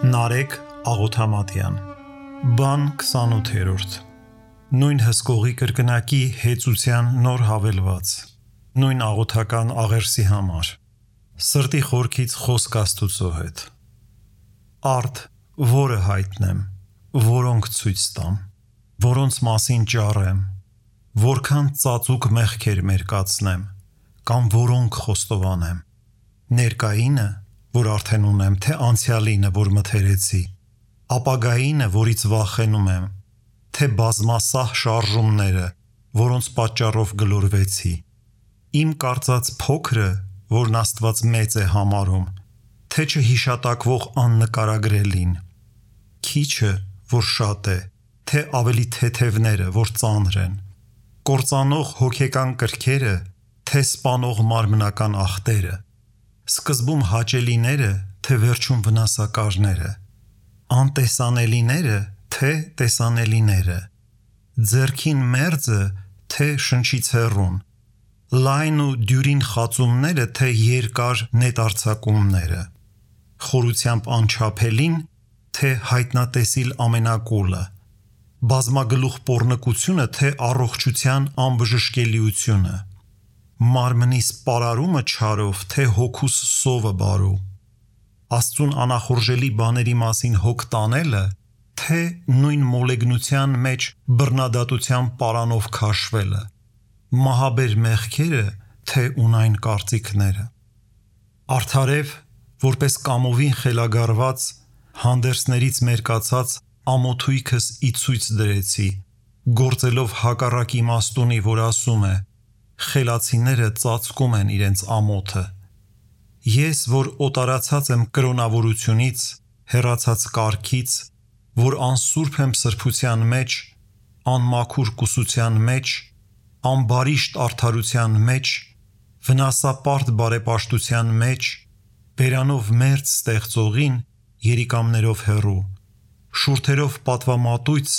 Նարեկ Աղոթամատյան Բան 28 Նույն հսկողի կրկնակի հեծության նոր հավելված Նույն աղոթական աղերսի համար Սրտի խորքից խոսք Աստուծո հետ Արդ, որը հայտնեմ, որոնք ցույց տամ, որոնց մասին ճառեմ, որքան ծածուկ մեղքեր մերկացնեմ, կամ որոնք խոստովանեմ, ներկայինը, որ արդեն ունեմ, թե անցյալինը, որ մթերեցի, ապագայինը, որից վախենում եմ, թե բազմասահ շարժումները, որոնց պատճառով գլորվեցի, իմ կարծած փոքրը, որն Աստված մեծ է համարում, թե չհիշատակվող աննկարագրելին, քիչը, որ շատ է, թե ավելի թեթևները, որ ծանր են, կործանող հոգեկան կրքերը, թե սպանող մարմնական ախտերը, սկզբում հաճելիները, թե վերջում վնասակարները, անտեսանելիները, թե տեսանելիները, ձեռքին մերձը, թե շնչից հեռուն, լայն ու դյուրին խածումները, թե երկար նետարձակումները, խորությամբ անչափելին, թե հայտնատեսիլ ամենակուլը, բազմագլուխ պոռնկությունը, թե առողջության անբժշկելիությունը, մարմնիս պարարումը չարով, թե հոգուս սովը բարու, Աստծուն անախորժելի բաների մասին հոգ տանելը, թե նույն մոլեգնության մեջ բռնադատության պարանով քաշվելը, մահաբեր մեղքերը, թե ունայն կարծիքները, արդարև, որպես կամովին խելագարված, հանդերձներից մերկացած ամոթույքս ի ցույց դրեցի, գործելով հակառակ իմաստունի, որ ասում է, խելացիները ծածկում են իրենց ամոթը, ես, որ օտարացած եմ կրոնավորությունից, հեռացած կարգից, որ անսուրբ եմ սրբության մեջ, անմաքուր կուսության մեջ, անբարիշտ արդարության մեջ, վնասապարտ բարեպաշտության մեջ, բերանով մերձ ստեղծողին, երիկամներով հեռու, շուրթերով պատվամատույց,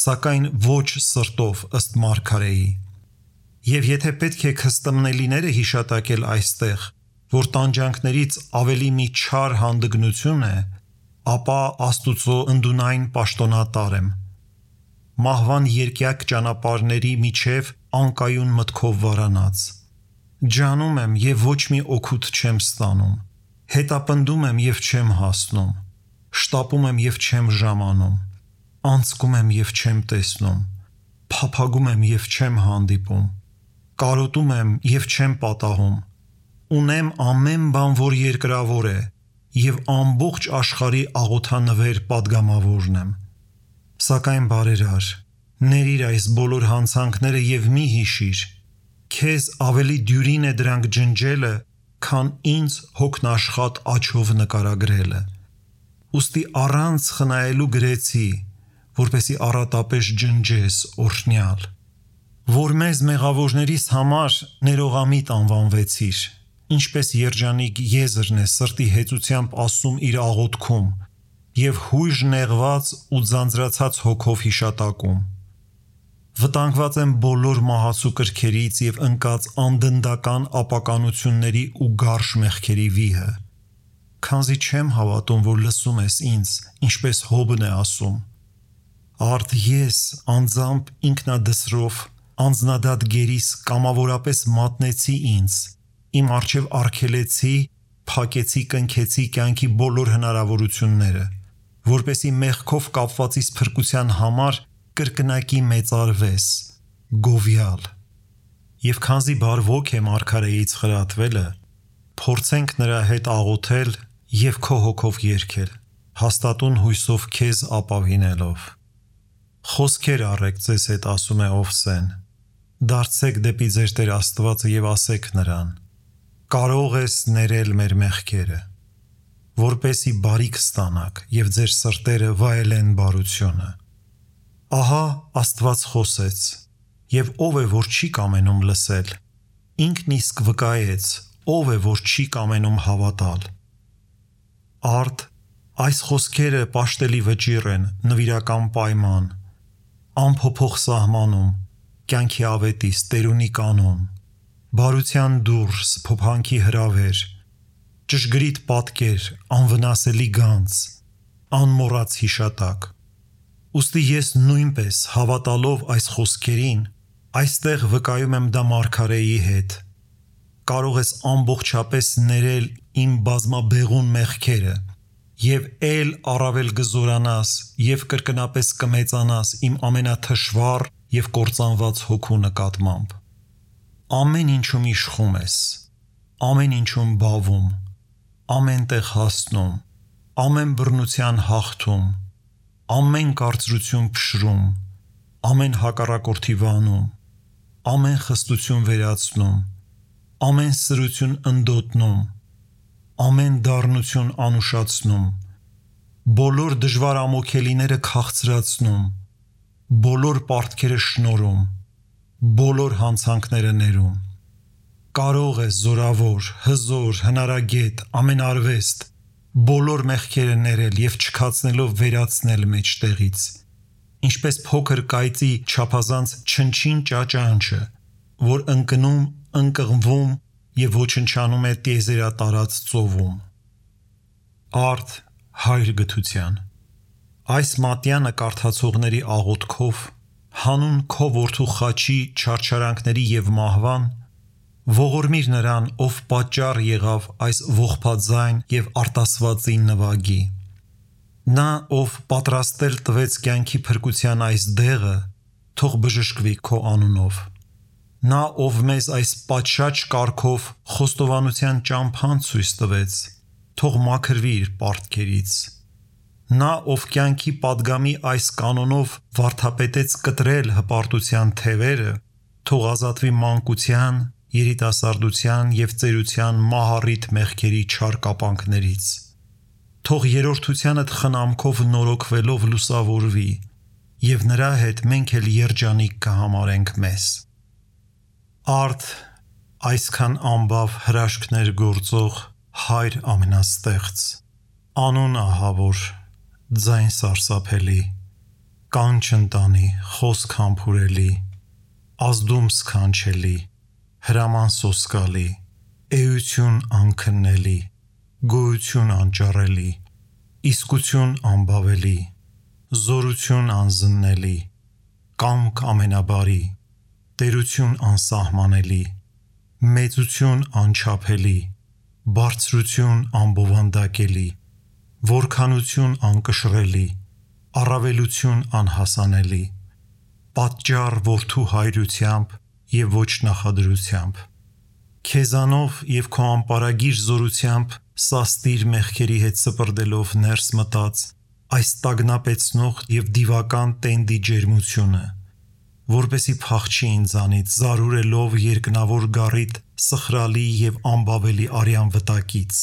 սակայն ոչ սրտով ըստ մարգարեի, եւ եթե պետք է քստմնելիները հիշատակել այստեղ, որ տանջանքներից ավելի մի չար հանդգնություն է, ապա Աստուծո ընդունայն պաշտոնատար եմ, մահվան երկյակ ճանապարհների միջև անկայուն մտքով վարանած, ջանում եմ եւ ոչ մի օգուտ չեմ ստանում, հետապնդում եմ եւ չեմ հասնում, շտապում եմ եւ չեմ ժամանում, անցկում եմ եւ չեմ տեսնում, փափագում եմ եւ չեմ հանդիպում, կարոտում եմ եւ չեմ պատահում, ունեմ ամեն բան, որ երկրավոր է, եւ ամբողջ աշխարհի աղոթանվեր падգամավորն եմ, սակայն բարերար, ներիր այս բոլոր հանցանքները եւ մի հիշիր, քեզ ավելի դյուրին է դրանք ջնջելը, քան ինձ հոգնաշխատ աչով նկարագրելը, ուստի առանց խնայելու գրեցի, որպեսի առատապես ջնջես օրհնյալ, որ մեզ մեղավորներիս համար ներողամիտ անվանվեցիր, ինչպես երջանիկ եզրն է սրտի հեծությամբ ասում իր աղոթքում եւ հույժ նեղված ու ձանձրացած հոգով հիշատակում, վտանգված եմ բոլոր մահացու կրքերից եւ ընկած անդնդական ապականությունների ու գարշ մեղքերի վիհը, քանզի չեմ հավատում, որ լսում ես ինձ, ինչպես Հոբն է ասում, արդ ես անձամբ ինքնադսրով անձնադատ գերիս կամավորապես մատնեցի ինձ, իմ առջև արգելեցի, փակեցի, կնքեցի կյանքի բոլոր հնարավորությունները, որպեսի մեղքով կապվածիս փրկության համար կրկնակի մեծարվես, գովյալ, եւ քանզի բարվոք է մարգարեից խրատվելը, փորձենք նրա հետ աղոթել եւ քո հոգով երգել, հաստատուն հույսով քեզ ապավինելով, խոսքեր առեք ձեզ հետ ասում է Օվսեն, դարձեք դեպի ձեր Տեր Աստվածը եւ ասեք նրան, կարող ես ներել մեր մեղքերը, որպեսի բարիք ստանաք եւ ձեր սրտերը վայելեն բարությունը, ահա Աստված խոսեց, եւ ով է, որ չի կամենում լսել, ինքն իսկ վկայեց, ով է, որ չի կամենում հավատալ, արդ, այս խոսքերը պաշտելի վճիռ են, նվիրական պայման, անփոփոխ սահմանում, կյանքի ավետիս, տերունի կանոն, բարության դուրս, փոփանքի հրավեր, ճշգրիտ պատկեր, անվնասելի գանձ, անմոռաց հիշատակ։ Ուստի ես նույնպես հավատալով այս խոսքերին, այստեղ վկայում եմ դա մարգարեի հետ։ Կարող ես ամբողջապես ներել իմ բազմաբեղուն մեղքերը եւ էլ առավել կզորանաս եւ կրկնապես կմեծանաս իմ ամենաթշվառ եւ կործանված հոգու նկատմամբ։ Ամեն ինչում իշխում ես, ամեն ինչում բավում, ամեն տեղ հասնում, ամեն բռնության հաղթում, ամեն կարծրություն փշրում, ամեն հակառակորդի վանում, ամեն խստություն վերացնում, ամեն սրություն ընդոտնում, ամեն դառնություն անուշացնում, բոլոր դժվար ամոքելիները քաղցրացնում, բոլոր պարտքերը շնորհում, բոլոր հանցանքները ներում։ Կարող ես զորավոր, հզոր, հնարագետ, ամենարվեստ, բոլոր մեղքերը ներել եւ չքացնելով վերացնել մեջտեղից, ինչպես փոքր կայծի չափազանց չնչին ճաճանչը, որ ընկնում, ընկղմվում եւ ոչնչանում է տիեզերատարած ծովում։ Արդ հայր գթության։ Այս մատյանը կարդացողների աղոթքով, հանուն քո որդու խաչի չարչարանքների եւ մահվան, ողորմիր նրան, ով պատճառ եղավ այս ողբաձայն եւ արտասվածին նվագի։ Նա, ով պատրաստել տվեց կյանքի փրկության այս դեղը, թող բժշկվի քո անունով։ Նա, ով մեզ այս պատշաճ կարգով խոստովանության ճամփան ցույց տվեց, թող մաքրվի իր պարտքերից։ Նա, ով կյանքի падգամի այս կանոնով վարդապետեց կտրել հպարտության թևերը, թող ազատվի մանկության, երիտասարդության եւ ծերության մահառիթ մեղքերի չար կապանքներից։ Թող երրորդությանդ խնամքով նորոգվելով լուսավորվի, եւ նրա հետ մենք էլ երջանիկ կհամարենք մեզ։ Արդ այսքան ամբավ հրաշքներ գործող հայր ամենաստեղծ, անուն ահավոր, ձայն սարսափելի, կանչ ընտանի, խոսք համբուրելի, ազդում սքանչելի, հրաման սոսկալի, էություն անքննելի, գոյություն անճառելի, իսկություն անբավելի, զորություն անզննելի, կամք ամենաբարի, տերություն անսահմանելի, մեծություն անչափելի, բարձրություն անբովանդակելի, որքանություն անկշռելի, առավելություն անհասանելի, պատճառ որդու հայրությամբ եւ ոչ նախադրությամբ, քեզանով եւ քո անպարագիր զորությամբ սաստիր մեղքերի հետ սպրդելով ներս մտած այս տագնապեցնող եւ դիվական տենդի ջերմությունը, որպեսի փախչի ինձանից զարուրելով երկնավոր գառիթ սխրալի եւ անբավելի արյան վտակից,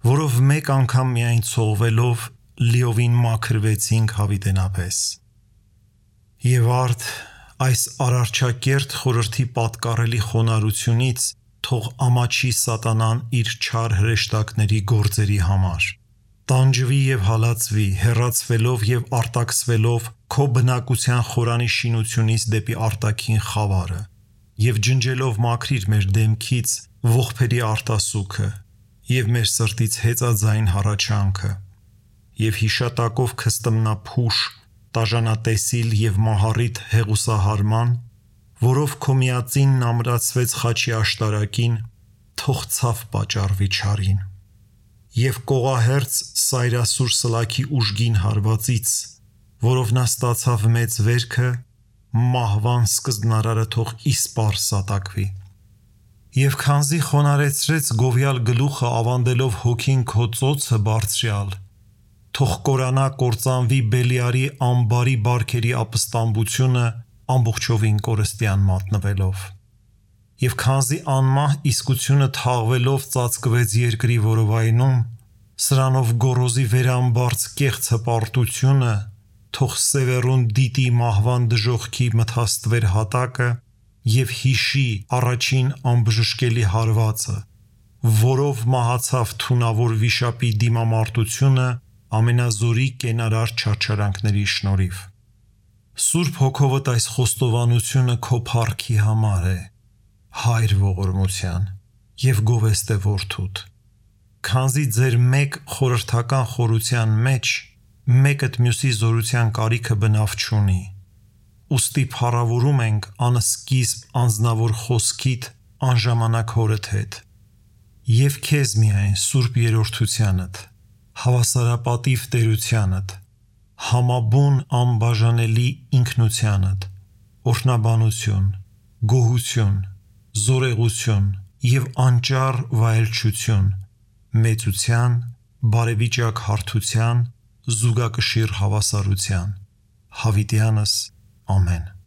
որով մեկ անգամ միայն ցողվելով լիովին մաքրվեցինք հավիտենապես։ Եվ արդ այս արարչակերտ խորհրդի պատկառելի խոնարհությունից թող ամաչի սատանան իր չար հրեշտակների գործերի համար, տանջվի եւ հալածվի, հեռացվելով եւ արտաքսվելով քո բնակության խորանի շինությունից դեպի արտաքին խավարը եւ ջնջելով մաքրիր մեր դեմքից ողբերի արտասուքը եւ մեր սրտից հեծաձայն հառաչանքը եւ հիշատակով քստմնափուշ տաժանատեսիլ եւ մահառիթ հեղուսահարման, որով քո միածինն ամրացվեց խաչի աշտարակին, թող ցավ պատճառվի չարին։ Եվ կողահերց սայրասուր սլաքի ուժգին հարվածից, որով նա ստացավ մեծ վերքը, մահվան սկզբնարարը թող իսպար սատակվի։ Եվ քանզի խոնարեցրեց գովյալ գլուխը ավանդելով հոգին քո ծոցը բարձրյալ, թող կորանա կործանվի Բելիարի ամբարի բարքերի ապստամբությունը ամբողջովին կորստյան մատնվելով։ Եվ քանզի անմահ իսկությունը թաղվելով ծածկվեց երկրի որովայնում, սրանով գոռոզի վերամբարձ կեղծ հպարտությունը, թող սևեռուն դիտի մահվան դժոխքի մթաստվեր հատակը եւ հիշի առաջին անբժշկելի հարվածը, որով մահացավ թունավոր վիշապի դիմամարտությունը ամենազորի կենարար չարչարանքների շնորհիվ։ Սուրբ հոգովդ այս խոստովանությունը քո փառքի համար է, հայր ողորմության, եւ գովեստ է որդուդ։ Քանզի ձեր մեկ խորհրդական խորության մեջ մեկըդ մյուսի զորության կարիքը բնավ չունի։ Ուստի փառավորում ենք անսկիզբ անձնավոր խոսքիդ անժամանակ հորդ հետ և քեզ միայն սուրբ երրորդությանդ, հավասարապատիվ տերությանդ, համաբուն անբաժանելի ինքնությանդ, օրհնաբանություն, գոհություն, զորեղություն և անճար վայելչություն, մեծության, բարեվիճակ հարթության, զուգակշիռ հավասարության, հավիտյանս, ամեն։